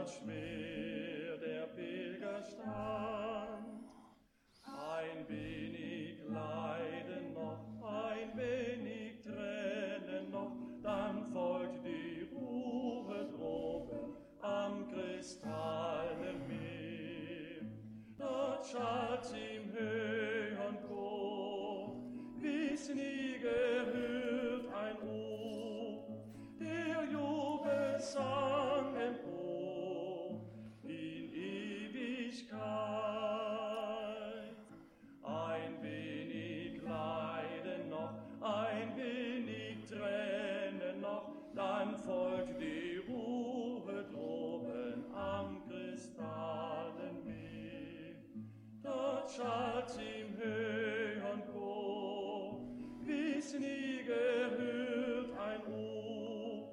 Schwer der Pilgerstand. Ein wenig Leiden noch, ein wenig Tränen noch, dann folgt die Ruhe droben am kristallenen Meer. Dort schallt im höheren Chor, wie's nie gehört ein Ruf, der Jubelsang empor in Ewigkeit. Ein wenig Leiden noch, ein wenig Tränen noch, dann folgt die Ruhe droben am kristallenen Meer. Dort schallt im höheren Chor, wie's nie gehört ein Ruf,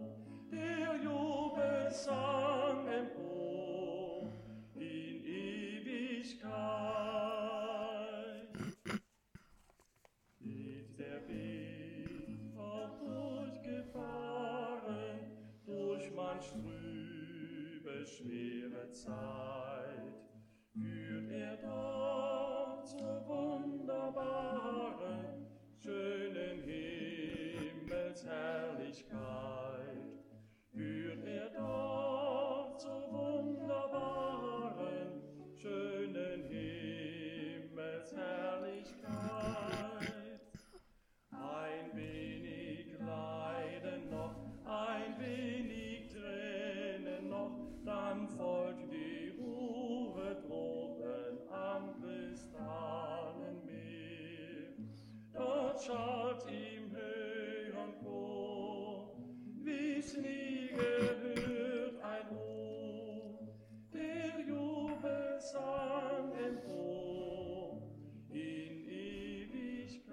der Jubelsang empor in Ewigkeit. Geht der Weg auch durchgefahren, durch manch trübe, schwere Zeit, führt er dort zur wunderbaren, schönen Himmelsherrlichkeit. Führt er dort zur wunderbaren, schönen Himmelsherrlichkeit. Ein wenig Leiden noch, ein wenig Tränen noch, dann folgt die Ruhe droben am kristallenen Meer. Dort schallt im höheren Chor, wie's nie gehört ein Ruf, der Jubelsang empor in Ewigkeit.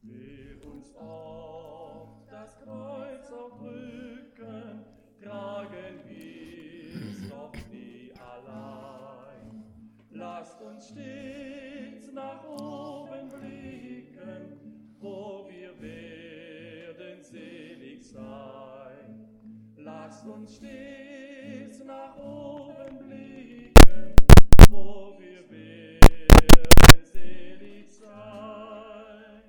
Wer uns oft das Kreuz auf Rücken, tragen wir's doch nie allein. Lasst uns stets nach oben blicken, wo wir werden selig sein. Lasst uns stets nach oben blicken, wo wir werden selig sein.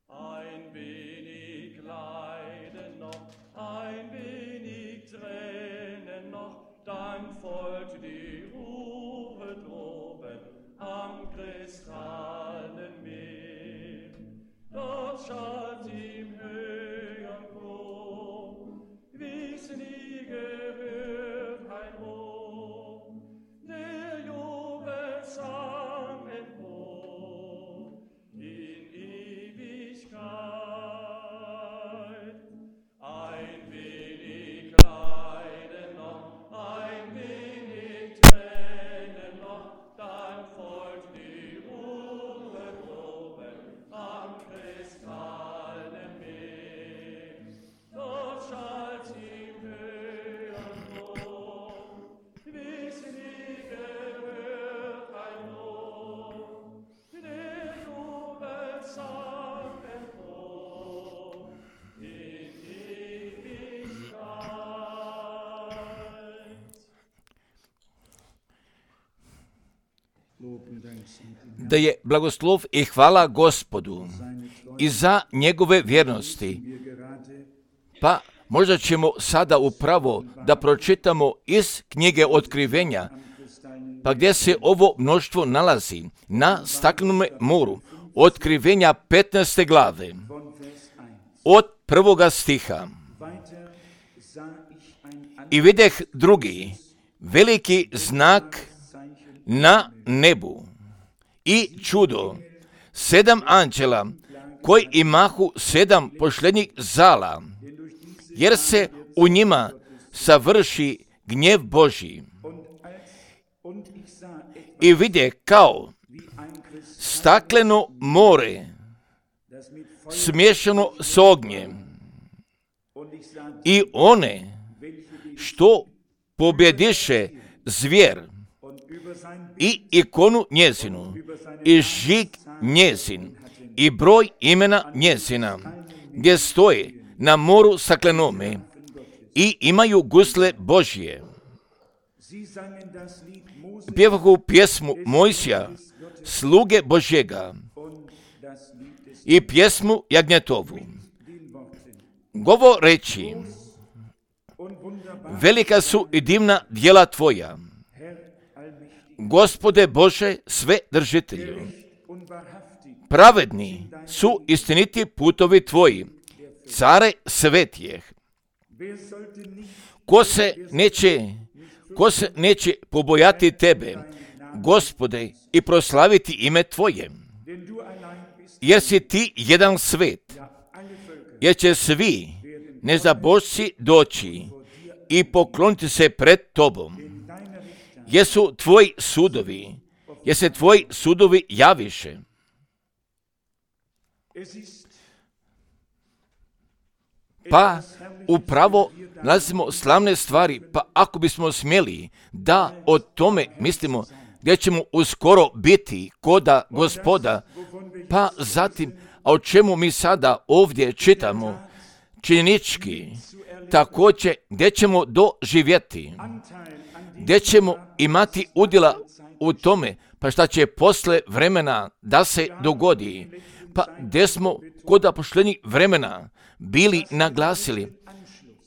Ein wenig Leiden noch, ein wenig Tränen noch, dann folgt die Ruhe droben am kristallenen Meer. Dort schallt im höheren Chor, wie's nie gehört ein Ruf, der Jubelsang empor in Ewigkeit. Ein wenig Leiden noch, ein wenig Tränen noch, dann folgt die Ruhe droben am kristallenen Meer. Dort schallt im höheren Chor, wie's nie gehört ein Ruf, der Jubelsang empor in Ewigkeit. Da je blagoslov i hvala Gospodu i za njegove vjernosti. Pa možda ćemo sada upravo da pročitamo iz knjige Otkrivenja, pa gdje se ovo mnoštvo nalazi na staklenome moru. Otkrivenja 15. glave, od 1. stiha. I videh drugi veliki znak na nebu i čudo, 7 anđela koji imahu 7 pošlednjih zala, jer se u njima savrši gnjev Božji. i vide kao stakleno more smiješano s ognjem i one što pobjediše zvijer i ikonu njezinu i žig njezin i broj imena njezina gdje stoje na moru staklenome i imaju gusle Božje. Pjevahu pjesmu Mojsija, sluge Božjega, i pjesmu Jagnjetovu, govoreći: velika su i divna djela Tvoja, Gospode Bože sve držitelju. Pravedni su istiniti putovi Tvoji, care svetijeh. Ko se neće pobojati Tebe, Gospode, i proslaviti ime Tvoje? Jer si Ti jedan svet, jer će svi nezabožci doći i pokloniti se pred Tobom. Jer su Tvoji sudovi, jer se Tvoji sudovi javiše. Pa upravo nalazimo slavne stvari, pa ako bismo smjeli da o tome mislimo, gdje ćemo uskoro biti koda Gospoda, pa zatim, a o čemu mi sada ovdje čitamo, činjenički, također gdje ćemo doživjeti, gdje ćemo imati udjela u tome, pa šta će posle vremena da se dogodi, pa gdje smo kod pošljenih vremena bili naglasili,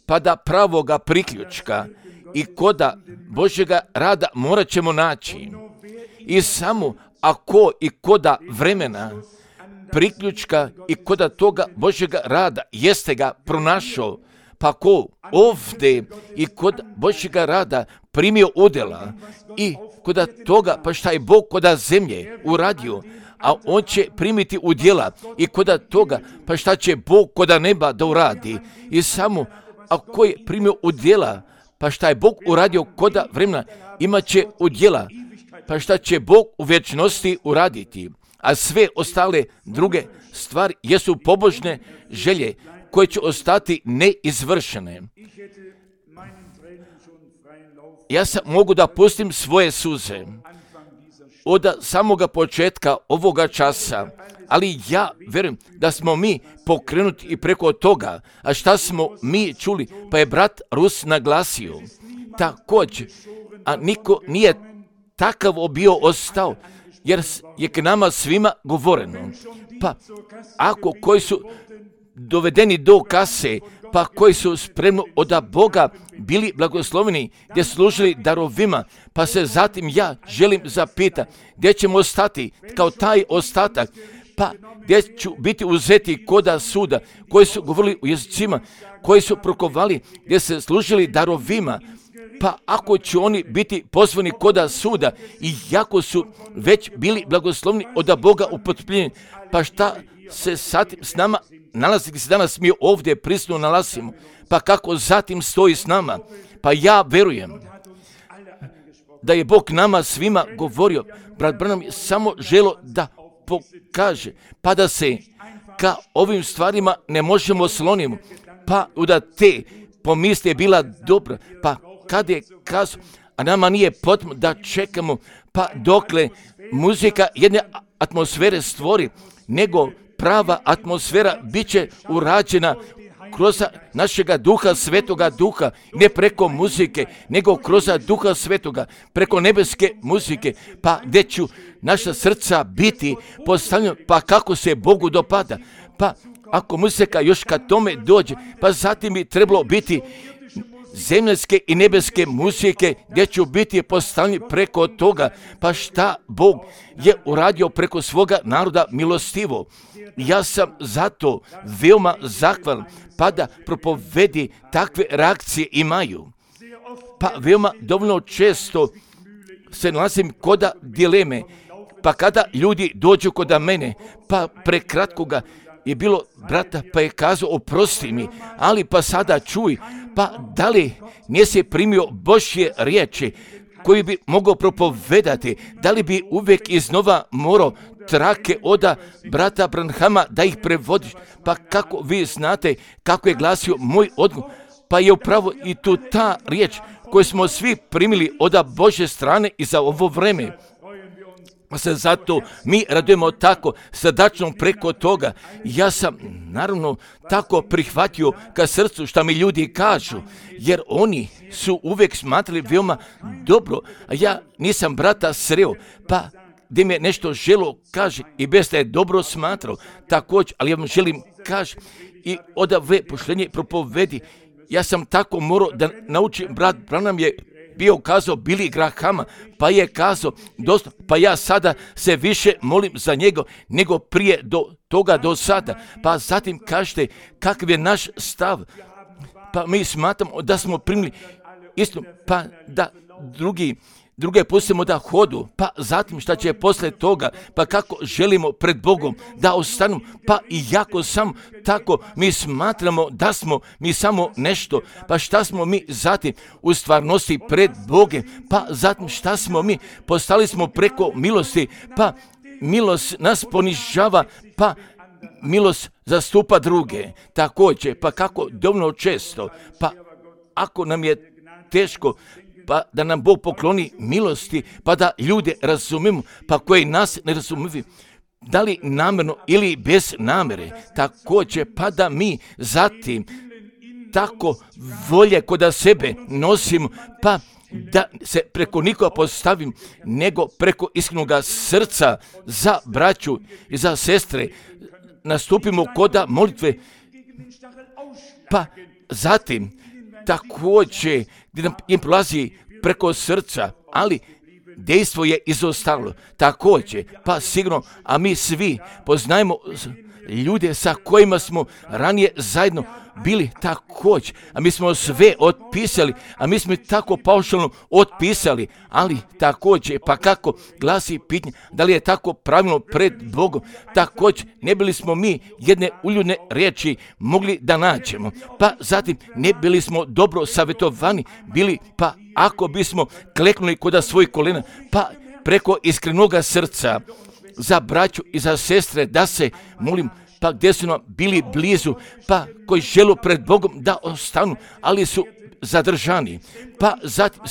pa da pravoga priključka i koda Božjega rada morat ćemo naći. I samo ako i koda vremena priključka i koda toga Božjega rada jeste ga pronašao, pa ko ovdje i kod Božjega rada primio udjela i koda toga, pa šta je Bog koda zemlje uradio, a on će primiti udjela i koda toga, pa šta će Bog koda neba da uradi. I samo ako je primio udjela, pa šta je Bog uradio koda vremena, imat će udjela, pa šta će Bog u vječnosti uraditi. A sve ostale druge stvari jesu pobožne želje koje će ostati neizvršene. Ja sam mogu da pustim svoje suze od samoga početka ovoga časa, ali ja vjerujem da smo mi pokrenuti i preko toga. A šta smo mi čuli? Pa je brat Rus naglasio također, a niko nije takav bio ostao, jer je k nama svima govoreno. Pa ako koji su dovedeni do kase, pa koji su spremno od Boga bili blagosloveni, gdje služili darovima, pa se zatim ja želim zapitati gdje ćemo ostati kao taj ostatak, pa gdje ću biti uzeti koda suda, koji su govorili u jezicima, koji su prokovali, gdje se služili darovima, pa ako će oni biti pozvani koda suda i jako su već bili blagoslovni od Boga upotpunjeni, pa šta se sad s nama nalazi, gdje se danas mi ovdje prisutno nalazimo, pa kako zatim stoji s nama? Pa ja verujem da je Bog nama svima govorio. Brat Branham je samo želo da pokaže, pa da se ka ovim stvarima ne možemo slonimo, pa da te pomisli je bila dobra, pa kad je kazao, a nama nije potrebno da čekamo, pa dokle muzika jedne atmosfere stvori, nego prava atmosfera bit će urađena kroz našega duha, svetoga duha, ne preko muzike, nego kroz duha svetoga, preko nebeske muzike, pa gdje ću naša srca biti postavljena, pa kako se Bogu dopada. Pa ako muzika još kad tome dođe, pa zatim bi trebalo biti zemljske i nebeske muzike gdje ću biti postavljeni preko toga, pa šta Bog je uradio preko svoga naroda milostivo. Ja sam zato veoma zahvalan, pa da propovedi takve reakcije imaju. Pa veoma dovoljno često se nalazim koda dileme, pa kada ljudi dođu koda mene, pa prekratkoga je bilo brata, pa je kazao oprosti mi, ali pa sada čuj, pa da li nisi primio Božje riječi koji bi mogao propovedati, da li bi uvijek iznova morao trake oda brata Branhama da ih prevodiš? Pa kako vi znate kako je glasio moj odgovor? Pa je upravo i tu ta riječ koju smo svi primili od Božje strane i za ovo vreme. Pa se zato mi radujemo tako srdačno preko toga. Ja sam naravno tako prihvatio ka srcu šta mi ljudi kažu, jer oni su uvijek smatrali veoma dobro, a ja nisam brata sreo, pa gdje mi je nešto želo kaže i bez da je dobro smatrao također, ali ja vam želim kaže i od ove poštenje propovedi. Ja sam tako morao da naučim, brat Branham je bio kazao Billy Grahama, pa je kazao dosta, pa ja sada se više molim za njega nego prije do sada. Pa zatim kažete kakav je naš stav, pa mi smatramo da smo primili isto, pa da druge pustimo da hodu, pa zatim šta će poslije toga, pa kako želimo pred Bogom da ostanu, pa i jako sam tako mi smatramo da smo mi samo nešto, pa šta smo mi zatim u stvarnosti pred Bogom, pa zatim šta smo mi, postali smo preko milosti, pa milost nas ponižava, pa milost zastupa druge, također, pa kako dovoljno često, pa ako nam je teško, pa da nam Bog pokloni milosti, pa da ljude razumimo, pa koji nas ne razumiju, da li namjerno ili bez namjere, također, pa da mi zatim tako volje kod sebe nosimo, pa da se preko nikoga postavim, nego preko iskrenog srca za braću i za sestre, nastupimo kod molitve, pa zatim također gdje nam im prolazi preko srca, ali dejstvo je izostalo. Također, pa sigurno, a mi svi poznajemo ljude sa kojima smo ranije zajedno bili također, a mi smo sve otpisali, a mi smo tako paušalno otpisali, ali također, pa kako glasi pitanje, da li je tako pravilno pred Bogom, također ne bili smo mi jedne uljudne riječi mogli da nađemo, pa zatim ne bili smo dobro savjetovani bili, pa ako bismo kleknuli kod svojih kolena, pa preko iskrenog srca za braću i za sestre da se molim, pa gdje su nam bili blizu, pa koji žele pred Bogom da ostanu, ali su zadržani, pa zatim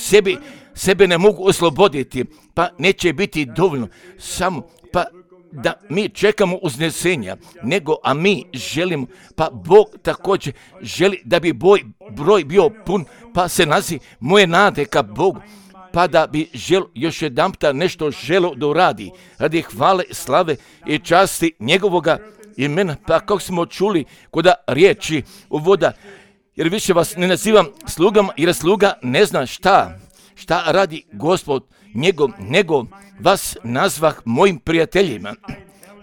sebe ne mogu osloboditi, pa neće biti dovoljno samo, pa da mi čekamo uznesenja, nego, a mi želimo, pa Bog također želi da bi broj bio pun, pa se nazi moje nade ka Bogu, pa da bi još jedanputa nešto želo da uradi, radi hvale, slave i časti njegovoga imena, pa kako smo čuli kod riječi uvoda, jer više vas ne nazivam slugama, jer sluga ne zna šta radi Gospod njegov, nego vas nazvah mojim prijateljima.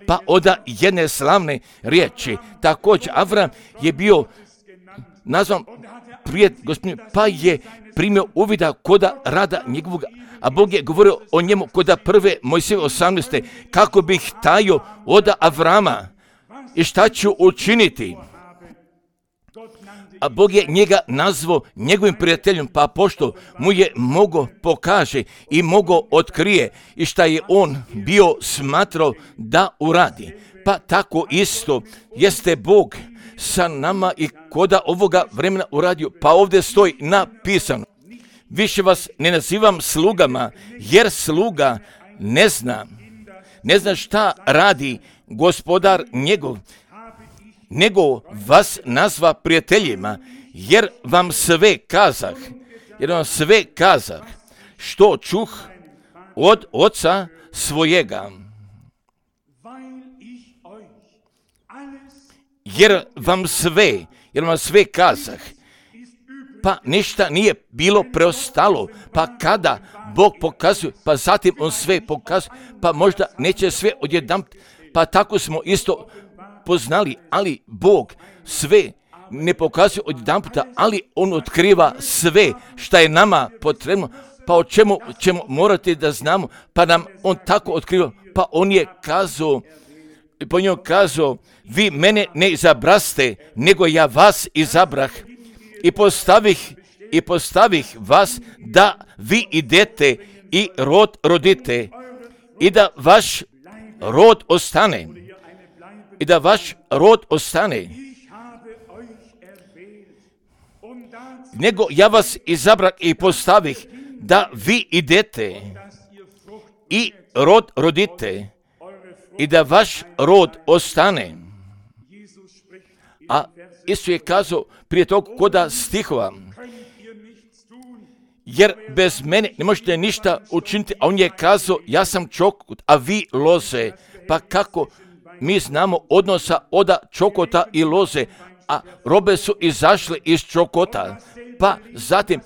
Pa od jedne slavne riječi, također Avram je bio nazvan prijatelj Gospodin, pa je primio uvida kod rada njegovog, a Bog je govorio o njemu kod prve Mojsije 18. kako bih tajio od Avrama i šta ću učiniti. A Bog je njega nazvao njegovim prijateljem, pa pošto mu je mogo pokaže i mogo otkrije i šta je on bio smatrao da uradi. Pa tako isto jeste Bog sa nama i koda ovoga vremena uradio, pa ovdje stoji napisano. Više vas ne nazivam slugama, jer sluga ne zna šta radi gospodar njegov, nego vas nazva prijateljima, jer vam sve kazah, što čuh od oca svojega. Jer vam sve kazah, pa ništa nije bilo preostalo, pa kada Bog pokazuje, pa zatim on sve pokazuje, pa možda neće sve odjedanput, pa tako smo isto poznali, ali Bog sve ne pokazuje odjedanputa, ali on otkriva sve šta je nama potrebno, pa o čemu ćemo morati da znamo, pa nam on tako otkriva, pa on je kazao, po njemu kazao, vi mene ne izabraste, nego ja vas izabrah i postavih i postavih vas da vi idete i rod rodite i da vaš rod ostane. I da vaš rod ostane. Nego ja vas izabrah i postavih da vi idete i rod rodite i da vaš rod ostane. A Isus je kazao prije tog koda stihova, jer bez mene ne možete ništa učiniti, a on je kazao, ja sam čokot, a vi loze. Pa kako mi znamo odnosa od čokota i loze, a robe su izašle iz čokota. Pa zatim,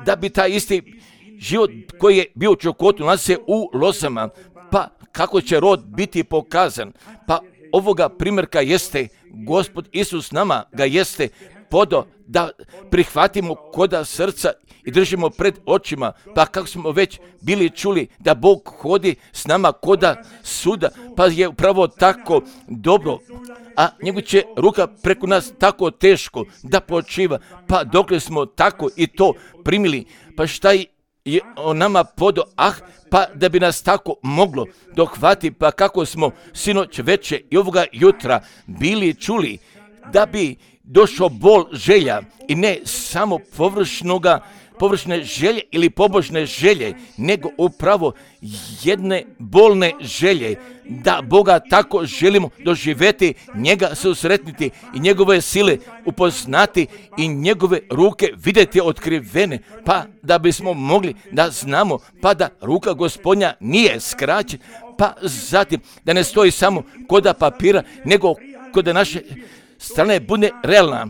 da bi taj isti život koji je bio u čokotu nalazi se u lozama, pa kako će rod biti pokazan? Pa ovoga primjerka jeste Gospod Isus nama ga jeste podao da prihvatimo koda srca i držimo pred očima, pa kako smo već bili čuli da Bog hodi s nama koda suda, pa je upravo tako dobro, a njegova će ruka preko nas tako teško da počiva, pa dokle smo tako i to primili, pa šta je o nama podao, pa da bi nas tako moglo dohvati, pa kako smo sinoć veče i ovoga jutra bili čuli da bi došao bol želja i ne samo površne želje ili pobožne želje, nego upravo jedne bolne želje, da Boga tako želimo doživjeti, njega susretniti i njegove sile upoznati i njegove ruke vidjeti otkrivene, pa da bismo mogli da znamo, pa da ruka Gospodnja nije skraćena, pa zatim da ne stoji samo koda papira, nego kod naše strane bude realna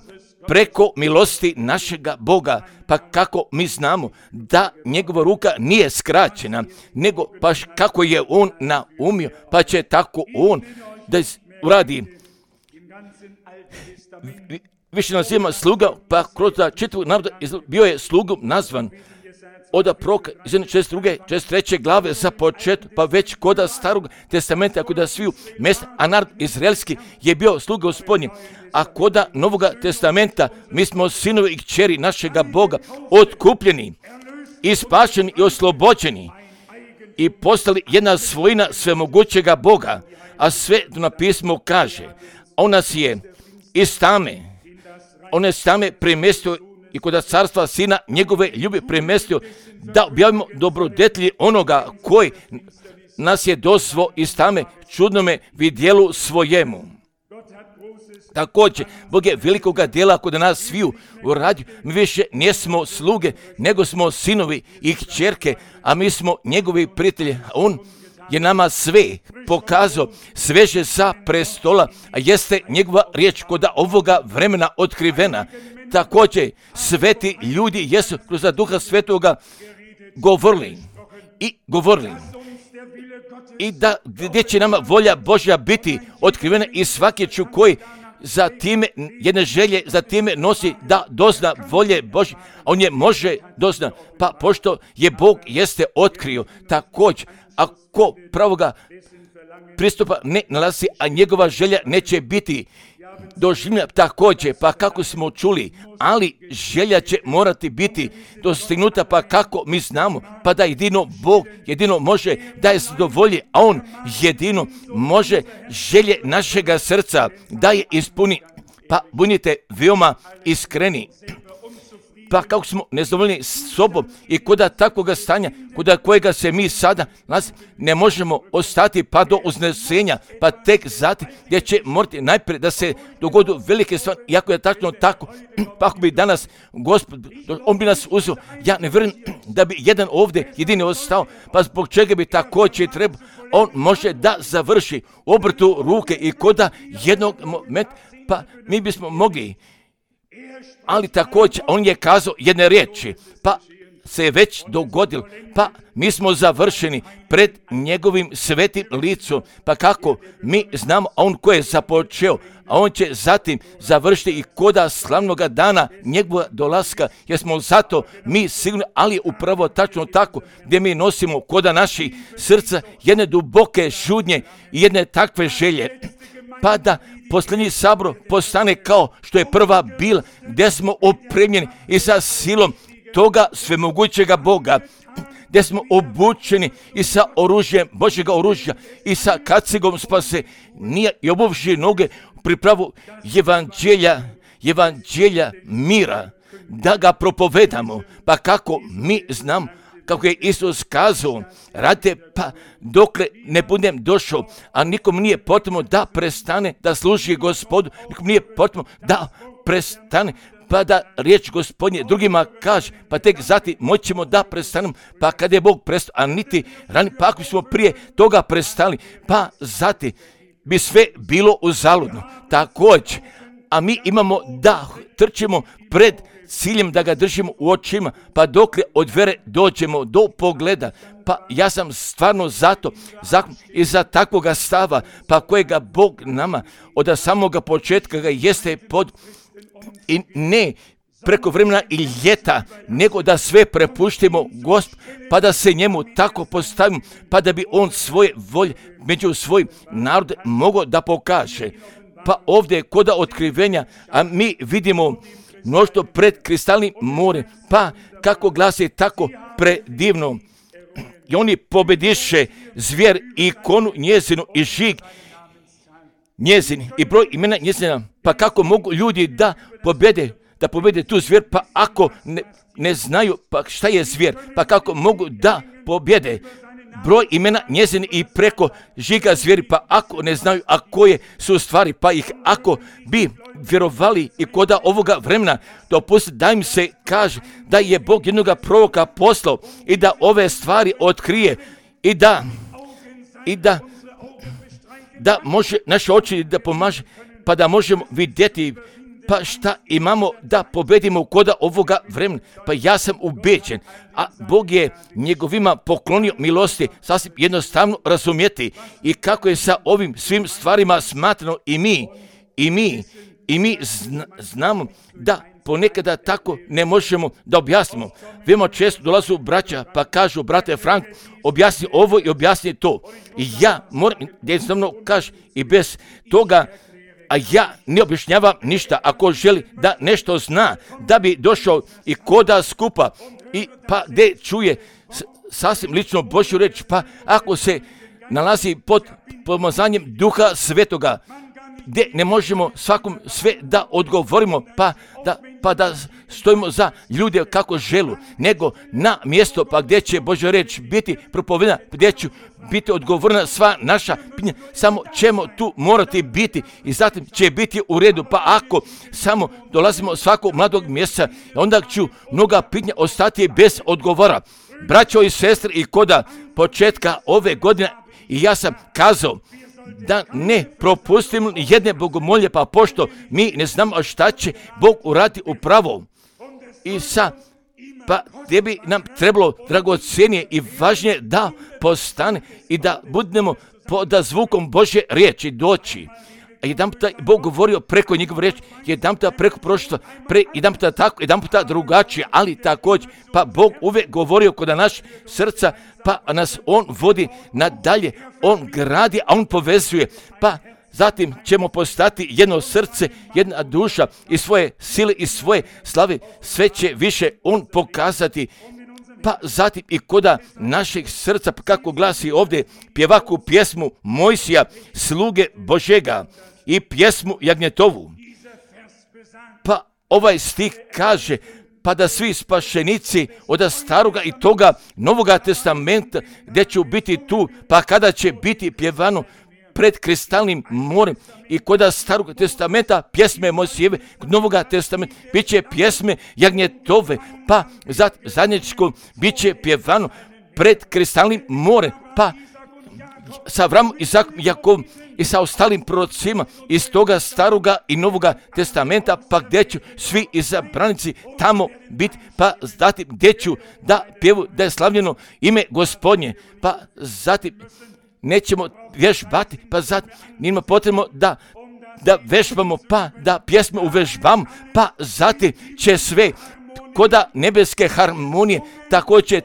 preko milosti našega Boga, pa kako mi znamo da njegova ruka nije skraćena, nego baš kako je on naumio, pa će tako on da uradi. Više naziva sluga, pa kroz čitavu naroda bio je slugom nazvan od proroka iz 42. 43. glave za početak, pa već koda starog testamenta, koda sviju mjesta, a narod izraelski je bio sluga Gospodnji, a koda novoga testamenta mi smo sinovi i kćeri našega Boga, otkupljeni i spašeni i oslobođeni i postali jedna svojina svemogućega Boga, a sve na pismu kaže, on nas je iz tame premjestio i kod carstva sina njegove ljubi premjestio da objavimo dobrodetlji onoga koji nas je dosvo iz tame čudnome vidjelu svojemu. Također, Bog je velikoga djela kod nas sviju uradio. Mi više nismo sluge, nego smo sinovi i kćerke, a mi smo njegovi prijatelji. On je nama sve pokazao, sveže sa prestola, a jeste njegova riječ kod ovoga vremena otkrivena. Također, sveti ljudi jesu kroz Duha Svetoga govorili i da gdje će nama volja Božja biti otkrivena i svaki koji za time jedne želje, za time nosi da dozna volje Božje, on je može dozna, pa pošto je Bog jeste otkrio, također, ako pravoga pristupa ne nalazi, a njegova želja neće biti doživljena također, pa kako smo čuli, ali želja će morati biti dostignuta, pa kako mi znamo, pa da jedino Bog jedino može da je zadovolji, a on jedino može želje našega srca da je ispuni, pa budite veoma iskreni. Pa kako smo nezadovoljni s sobom i koda takvoga stanja, koda kojega se mi sada ne možemo ostati pa do uznesenja, pa tek zatim gdje će morati najprije da se dogodu velike stvari, iako je tačno tako, pa ako bi danas Gospod, on bi nas uzeo, ja ne vjerujem da bi jedan ovdje jedini ostao, pa zbog čega bi također trebao, on može da završi obrtu ruke i koda jednog momenta, pa mi bismo mogli. Ali također on je kazao jedne riječi, pa se je već dogodil, pa mi smo završeni pred njegovim svetim licom, pa kako mi znamo, a on ko je započeo, a on će zatim završiti i koda slavnoga dana njegova dolaska, jer smo zato mi sigurni, ali upravo tačno tako, gdje mi nosimo koda naših srca jedne duboke žudnje i jedne takve želje, pa da posljednji sabor postane kao što je prva bila, gdje smo opremljeni i sa silom toga svemogućega Boga, gdje smo obučeni i sa oružjem Božjega oružja i sa kacigom spase, nije i obuvši noge pripravu evanđelja mira, da ga propovedamo. Pa kako mi znam, kako je Isus kazao, radite pa dokle ne budem došao, a nikom nije potrebno da prestane da služi Gospodu, nikom nije potrebno da prestane pa da riječ Gospodnje drugima kaže, pa tek zatim moćemo da prestanemo, pa kad je Bog prestao, a niti rani, pa ako smo prije toga prestali, pa zatim bi sve bilo uzaludno. Također, a mi imamo da trčimo pred ciljem da ga držimo u očima, pa dokle od vere dođemo do pogleda. Pa ja sam stvarno zato i za takvoga stava, pa kojega Bog nama od samoga početka ga jeste pod i ne preko vremena i ljeta, nego da sve prepuštimo Gospodu, pa da se njemu tako postavimo, pa da bi on svoje volje među svojim narod mogao da pokaže. Pa ovdje kod otkrivenja, a mi vidimo mnoštvo pred kristalnim morem, pa kako glasi tako predivno. I oni pobediše zvijer i ikonu njezinu i žig njezin i broj imena njezina. Pa kako mogu ljudi da pobede tu zvijer, pa ako ne znaju pa šta je zvijer, pa kako mogu da pobjede broj imena njezin i preko žiga zvijeri, pa ako ne znaju, a koje su stvari, pa ih ako bi vjerovali i koda ovoga vremena, dopustiti da im se kaže da je Bog jednoga proroka poslao i da ove stvari otkrije i da može naše oči da pomaže, pa da možemo vidjeti pa šta imamo da pobedimo koda ovoga vremena. Pa ja sam ubeđen, a Bog je njegovima poklonio milosti, sasvim jednostavno razumjeti i kako je sa ovim svim stvarima smatrano i mi znamo da ponekada tako ne možemo da objasnimo. Veoma često dolazu braća pa kažu, brate Frank, objasni ovo i objasni to. I ja moram jednostavno kaži i bez toga, a ja ne objašnjavam ništa. Ako želi da nešto zna, da bi došao i koda skupa i pa gdje čuje sasvim lično Božju reč, pa ako se nalazi pod pomazanjem Duha Svetoga, gdje ne možemo svakom sve da odgovorimo, pa da stojimo za ljude kako želu, nego na mjesto pa gdje će Božja reč biti propovedena, gdje će biti odgovorena sva naša pitanja, samo ćemo tu morati biti i zatim će biti u redu. Pa ako samo dolazimo svakog mladog mjeseca, onda ću mnoga pitanja ostati bez odgovora. Braćo i sestre, i koda početka ove godine i ja sam kazao da ne propustimo jedne bogomolje, pa pošto mi ne znamo šta će Bog uraditi upravo. I pa tebi nam trebalo dragocjenije i važnije da postane i da budemo pod zvukom Božje riječi doći. A jedan puta Bog govorio preko njegove riječi, jedan puta preko prošlosti, jedan puta tako, jedan puta drugačije, ali također, pa Bog uvijek govorio kod naš srca, pa nas On vodi nadalje, On gradi, a On povezuje, pa zatim ćemo postati jedno srce, jedna duša i svoje sile i svoje slave, sve će više On pokazati. Pa zatim i koda našeg srca, kako glasi ovdje pjevaku pjesmu Mojsija, sluge Božega, i pjesmu Jagnjetovu. Pa ovaj stih kaže, pa da svi spašenici od staroga i toga Novoga testamenta, gdje će biti tu, pa kada će biti pjevano pred kristalnim morem i kod starog testamenta pjesme Mojsijeve, kod Novoga testamenta bit će pjesme Jagnjetove, pa zadnječko bit će pjevano pred kristalnim morem, pa sa Avramom, Izakom, Jakovom i sa ostalim prorocima iz toga staroga i Novoga testamenta, pa gdje ću svi izabranici tamo biti, pa zatim gdje ću da pjevu da je slavljeno ime Gospodnje, pa zatim nećemo vježbati, pa zatim nima potrebno da vežbamo, pa da pjesme uvežbamo, pa zatim će sve koda nebeske harmonije,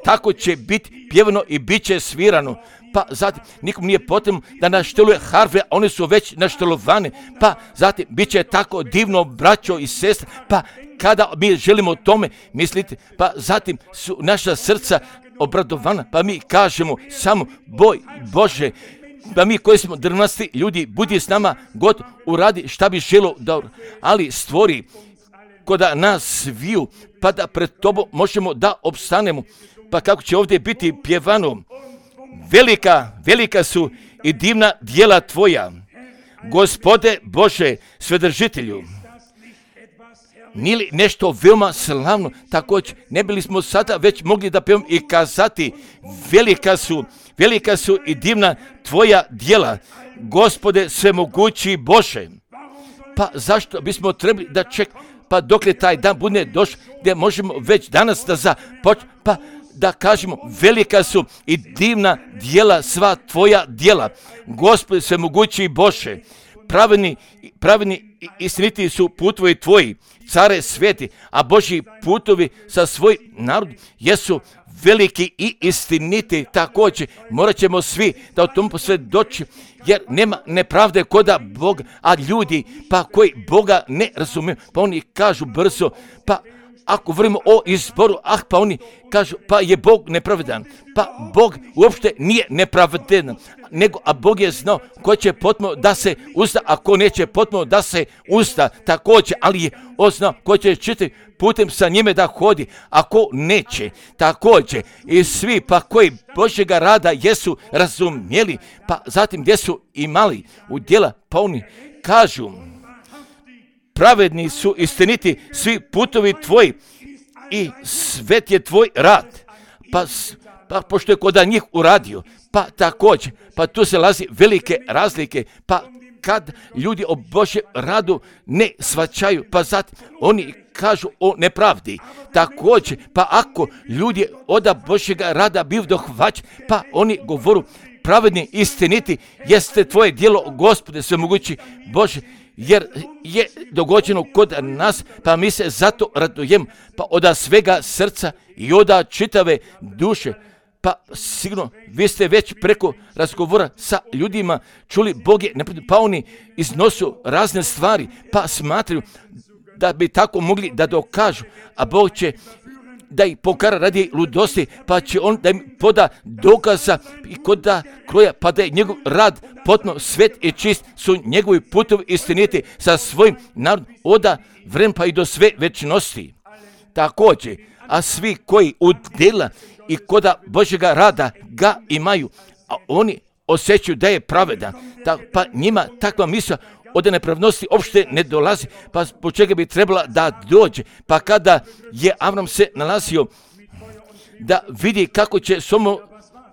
tako će biti pjevano i bit će svirano. Pa zatim nikom nije potrebno da našteluje harfe, a one su već naštelovane. Pa zatim bit će tako divno, braćo i sestre, pa kada mi želimo o tome misliti, pa zatim su naša srca obradovana, pa mi kažemo samo boj Bože, pa mi koji smo drvnasti ljudi, budi s nama, God uradi šta bi želo, ali stvori koda nas sviju, pa da pred tobom možemo da opstanemo. Pa kako će ovdje biti pjevano, velika su i divna djela tvoja, Gospode Bože Svedržitelju. Nije li nešto veoma slavno? Također, ne bili smo sada već mogli da pjevamo i kazati, velika su i divna tvoja djela, Gospode Svemogući Bože. Pa zašto bismo trebali da čekamo, pa dokle taj dan bude došao, gdje možemo već danas da započnemo, pa da kažemo, velika su i divna djela, sva tvoja djela, Gospode Svemogući Bože. Pravedni i istiniti su putovi tvoji, care sveti, a Božji putovi sa svoj narod jesu veliki i istiniti. Također morat ćemo svi da o tom posvjedoči, jer nema nepravde koda Boga, a ljudi pa koji Boga ne razumiju, pa oni kažu brzo, pa ako govorimo o izboru, pa oni kažu, pa je Bog nepravedan. Pa Bog uopšte nije nepravedan, a Bog je znao ko će potpuno da se usta, a ko neće potpuno da se usta također, ali je on znao ko će čitati putem sa njime da hodi, a ko neće također. I svi pa koji Božjega rada jesu razumjeli, pa zatim gdje su imali u djela, pa oni kažu, pravedni su istiniti svi putovi tvoji i svet je tvoj rad. Pa pošto je koda njih uradio, pa također, pa tu se lazi velike razlike, pa kad ljudi o Božjem radu ne svačaju, pa zatim oni kažu o nepravdi. Također, pa ako ljudi od Božjega rada biv dohvaćeni, pa oni govoru, pravedni istiniti jeste tvoje djelo, Gospode Svemogući Bože, jer je dogođeno kod nas, pa mi se zato radujemo, pa od svega srca i od čitave duše. Pa sigurno, vi ste već preko razgovora sa ljudima čuli, Bog je nepravedan, pa oni iznosu razne stvari, pa smatraju da bi tako mogli da dokažu, a Bog će da ih pokara radi ludosti, pa će on da im poda dokaza i koda kroja, pa da je njegov rad potpuno svet i čist, su njegovi putovi istiniti sa svojim narodom oda vremena pa i do sve večnosti. Također, a svi koji u djela i koda Božjega rada ga imaju, a oni osjećaju da je pravedan, pa njima takva misla od nepravnosti uopšte ne dolazi, pa po čega bi trebala da dođe. Pa kada je Avram se nalazio da vidi kako će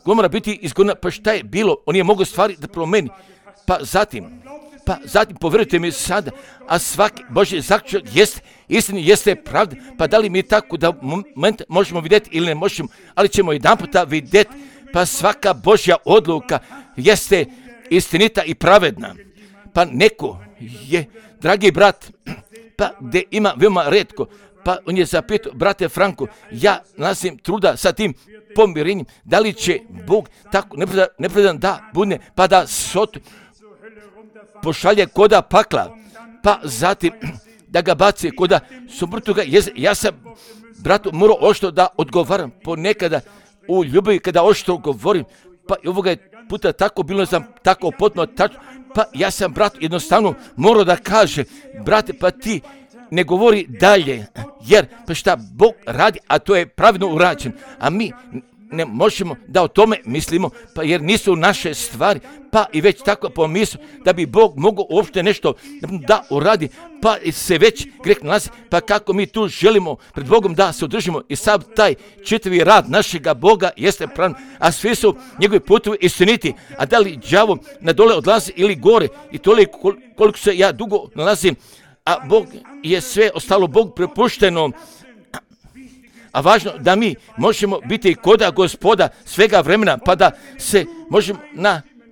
Gomora biti izgona, pa šta je bilo, on je mogao stvari da promeni. Pa zatim povjerujte mi sada, a svaki Božji zaključak jeste istini, jeste pravda, pa da li mi tako da moment možemo vidjeti ili ne možemo, ali ćemo jedan puta vidjeti, pa svaka Božja odluka jeste istinita i pravedna. Pa neko je, dragi brat, pa gdje ima veoma retko, pa on je zapitao, brate Franko, ja nalazim truda sa tim pomirenjem, da li će Bog tako nepravedan da bude, pa da Sotu pošalje koda pakla, pa zatim da ga baci koda Somrtuga. Ja sam, bratu, morao oštro da odgovaram, ponekada u ljubavi kada oštro govorim, pa i ovoga je puta tako bilo, sam tako potpuno tačno, pa ja sam, brat, jednostavno morao da kaže, brate, pa ti ne govori dalje, jer pa šta Bog radi, a to je pravilno urađen, a mi ne možemo da o tome mislimo, pa jer nisu naše stvari, pa i već tako pomislu da bi Bog mogao uopšte nešto da uradi, pa se već greh nalazi, pa kako mi tu želimo pred Bogom da se održimo i sav taj čitavi rad našega Boga jeste pravilan, a svi su njegovi putovi istiniti, a da li đavo na dole odlazi ili gore i toliko koliko se ja dugo nalazim, a Bog je sve ostalo Bog prepušteno. A važno da mi možemo biti koda Gospoda svega vremena, pa da se možemo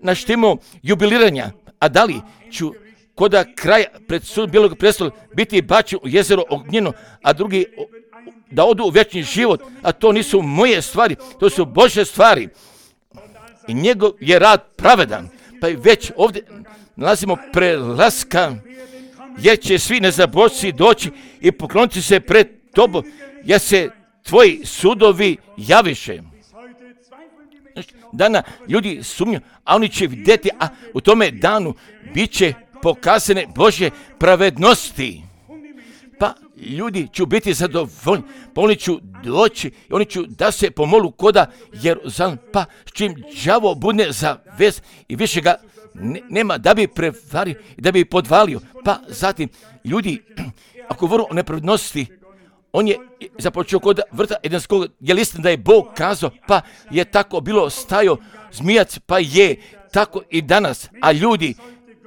na štimu jubiliranja. A da li ću koda kraja pred sud Bijelog prestola biti bačen u jezero ognjeno, a drugi da odu u vječni život, a to nisu moje stvari, to su Božje stvari. I njegov je rad pravedan. Pa i već ovdje nalazimo prelaska, jer će svi nezabožci doći i pokloniti se pred tobom, jer se tvoji sudovi javiše. Dana ljudi sumnju, a oni će vidjeti, a u tome danu bit će pokazane Božje pravednosti. Pa ljudi će biti zadovoljni, pa oni će doći i oni će da se pomolu koda Jeruzalem, pa s čim đavo budne za vez i više ga nema da bi prevario i da bi podvalio. Pa zatim ljudi, ako govoru o nepravednosti, on je započeo kod vrta Edenskog, je li istina da je Bog kazao, pa je tako bilo stajao zmijac, pa je tako i danas. A ljudi,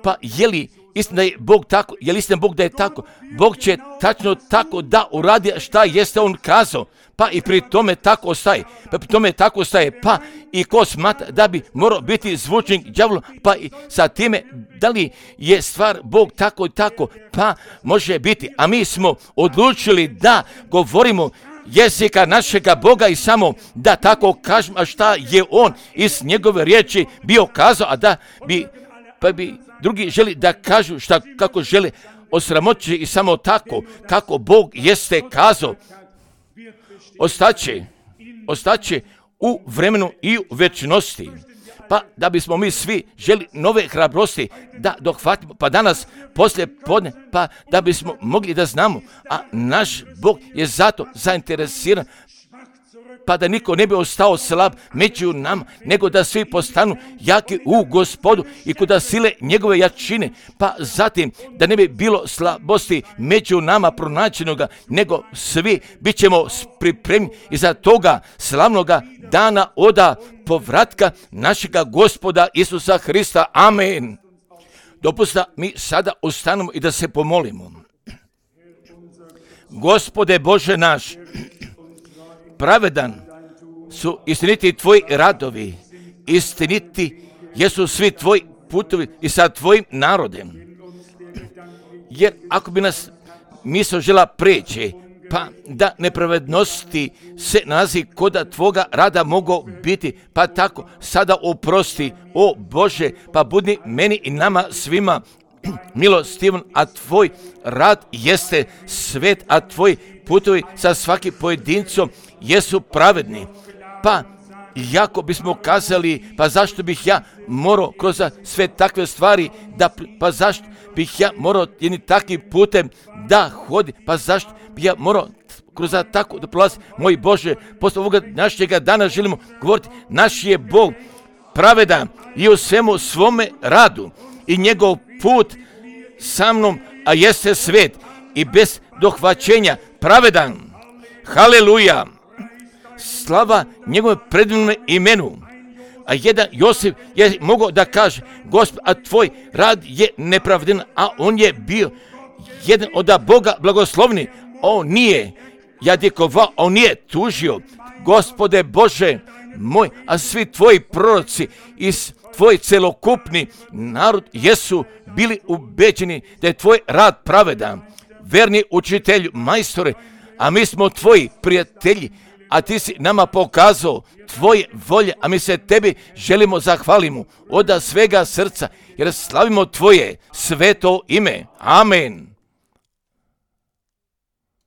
pa je li istina da je Bog tako, je li istina Bog da je tako? Bog će tačno tako da uradi šta jeste on kazao, pa i pri tome tako ostaje. Pa i ko smatra da bi morao biti zvučnik đavolu, pa i sa time da li je stvar Bog tako i tako, pa može biti. A mi smo odlučili da govorimo jezika našega Boga i samo da tako kažemo, a šta je on iz njegove riječi bio kazao, a da bi, pa bi drugi želi da kažu šta kako žele osramoći i samo tako kako Bog jeste kazao. Ostaće u vremenu i u večnosti. Pa da bismo mi svi želi nove hrabrosti da dohvatimo, pa danas poslije podne, pa da bismo mogli da znamo, a naš Bog je zato zainteresiran, pa da niko ne bi ostao slab među nama, nego da svi postanu jaki u Gospodu i kuda sile njegove jačine, pa zatim da ne bi bilo slabosti među nama pronađenoga, nego svi bit ćemo pripremni iza toga slavnoga dana oda povratka našega Gospoda Isusa Hrista. Amen. Dopusta mi sada ustanemo i da se pomolimo. Gospode Bože naš, pravedan su istiniti tvoji radovi, istiniti jesu svi tvoji putovi i sa tvojim narodem. Jer ako bi nas misao žela preći, pa da nepravednosti se nalazi koda tvoga rada mogu biti, pa tako sada oprosti, o Bože, pa budi meni i nama svima milostivan, a tvoj rad jeste svet, a tvoji putovi sa svakim pojedincom jesu pravedni. Pa jako bismo kazali, pa zašto bih ja morao kroz sve takve stvari, pa zašto bih ja morao jednim takvim putem da hodi, pa zašto bih ja morao kroz tako da prolazi. Moj Bože, posle ovoga našega dana želimo govoriti, naš je Bog pravedan i u svemu svome radu i njegov put sa mnom, a jeste svet i bez dohvaćenja pravedan. Haleluja! Slava njegove predivnome imenu. A jedan Josip je mogao da kaže, Gospod, a tvoj rad je nepravden, a on je bio jedan od Boga blagoslovni. On nije jadikovao, on nije tužio. Gospode Bože moj, a svi tvoji proroci i tvoj celokupni narod jesu bili ubeđeni da je tvoj rad pravedan. Verni učitelju, majstore, a mi smo tvoji prijatelji, a ti si nama pokazao tvoje volje, a mi se tebi želimo zahvalimo od svega srca, jer slavimo tvoje sveto ime. Amen.